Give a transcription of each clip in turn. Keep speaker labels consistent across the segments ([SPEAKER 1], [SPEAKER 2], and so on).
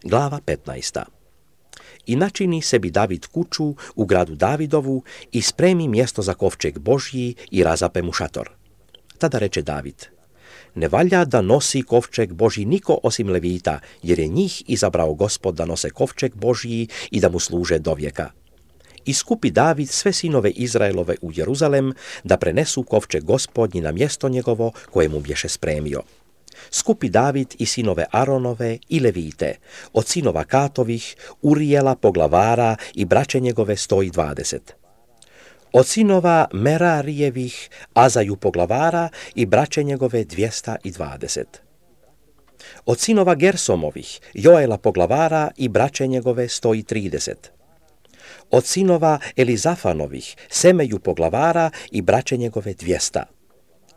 [SPEAKER 1] Glava 15. I načini sebi David kuću u gradu Davidovu i spremi mjesto za kovčeg Božji i razape mu šator. Tada reče David: ne valja da nosi kovčeg Božji niko osim Levita, jer je njih izabrao Gospod da nose kovčeg Božji i da mu služe dovijeka. I skupi David sve sinove Izraelove u Jeruzalem da prenesu kovčeg Gospodnji na mjesto njegovo koje mu bješe spremio. Skupi David i sinove Aronove i Levite, od sinova Katovih, Urijela poglavara i braće njegove 120. Od sinova Merarijevih, Azaju poglavara i braće njegove 220. Od sinova Gersomovih, Joela poglavara i braće njegove 130. Od sinova Elizafanovih, Semeju poglavara i braće njegove 200.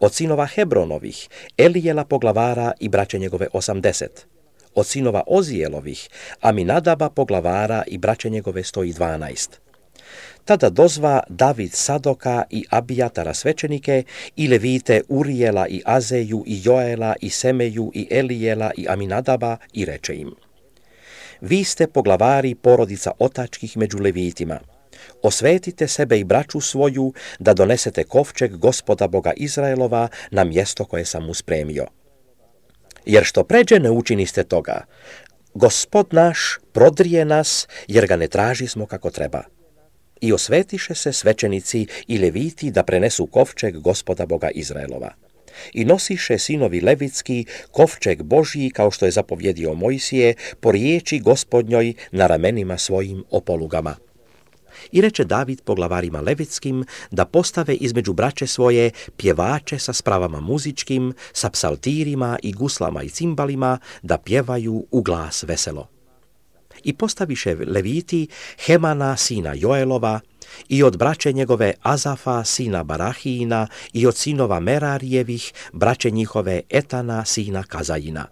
[SPEAKER 1] Od sinova Hebronovih, Elijela poglavara i braće njegove 80. Od sinova Ozijelovih, Aminadaba poglavara i braće njegove 112. Tada dozva David Sadoka i Abijatara svećenike i Levite Urijela i Azeju i Joela i Semeju i Elijela i Aminadaba i reče im: vi ste poglavari porodica otačkih među Levitima. Osvetite sebe i braću svoju da donesete kovčeg Gospoda Boga Izraelova na mjesto koje sam mu spremio. Jer što pređe ne učiniste toga. Gospod naš prodrije nas, jer ga ne tražismo kako treba. I osvetiše se svećenici i Leviti da prenesu kovčeg Gospoda Boga Izraelova. I nosiše sinovi Levitski kovčeg Božji, kao što je zapovjedio Mojsije, po riječi Gospodnjoj na ramenima svojim o polugama. I reče David poglavarima Levitskim da postave između braće svoje pjevače sa spravama muzičkim, sa psaltirima i guslama i cimbalima, da pjevaju u glas veselo. I postaviše Leviti Hemana sina Joelova i od braće njegove Azafa sina Barahijina i od sinova Merarijevih braće njihove Etana sina Kazajina.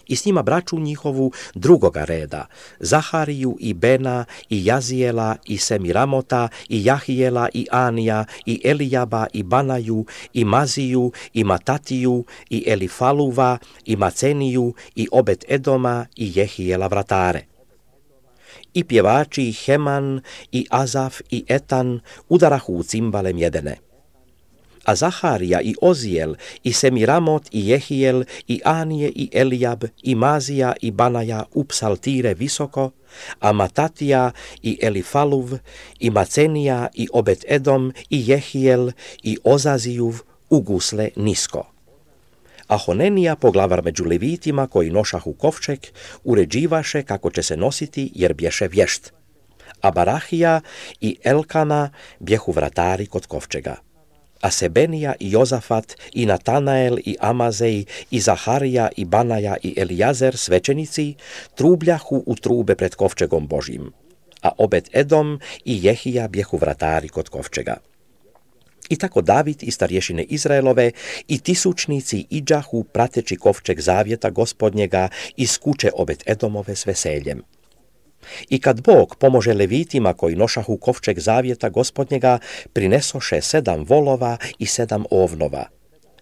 [SPEAKER 1] I s njima braću njihovu drugoga reda, Zahariju i Bena i Jazijela i Semiramota i Jahijela i Anija i Elijaba i Banaju i Maziju i Matatiju i Elifaluva i Maceniju i Obed Edoma i Jehijela vratare. I pjevači Heman i Azaf i Etan udarahu u cimbale mjedene. A Zaharija i Ozijel i Semiramot i Jehijel i Anije i Elijab i Mazija i Banaja u psaltire visoko, a Matatija i Elifaluv i Macenija i Obed Edom i Jehijel i Ozazijuv u gusle nisko. A Honenija, poglavar među Levitima koji nošahu kovčeg, uređivaše kako će se nositi jer bješe vješt. A Barahija i Elkana bjehu vratari kod kovčega. A Sebenija i Jozafat i Natanael i Amazej i Zaharija i Banaja i Elijazer svećenici trubljahu u trube pred kovčegom Božjim. A Obed Edom i Jehija bjehu vratari kod kovčega. I tako David i starješine Izraelove i tisućnici iđahu prateći kovčeg zavjeta Gospodnjega iz kuće Obed Edomove s veseljem. I kad Bog pomože Levitima koji nošahu kovčeg zavjeta Gospodnjega, prinesoše 7 volova i 7 ovnova.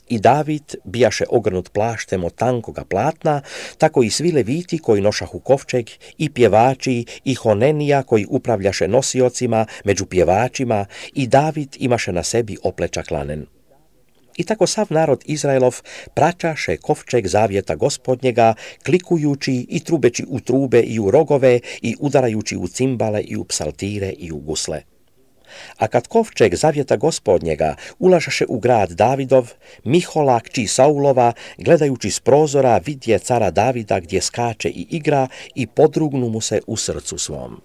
[SPEAKER 1] I David bijaše ogrnut plaštem od tankoga platna, tako i svi Leviti koji nošahu kovčeg, i pjevači, i Honenija koji upravljaše nosiocima među pjevačima, i David imaše na sebi oplečak lanen. I tako sav narod Izraelov praćaše kovčeg zavjeta Gospodnjega, klikujući i trubeći u trube i u rogove i udarajući u cimbale i u psaltire i u gusle. A kad kovčeg zavjeta Gospodnjega ulažaše u grad Davidov, Mihola kći Saulova, gledajući s prozora, vidje cara Davida gdje skače i igra i podrugnu mu se u srcu svom.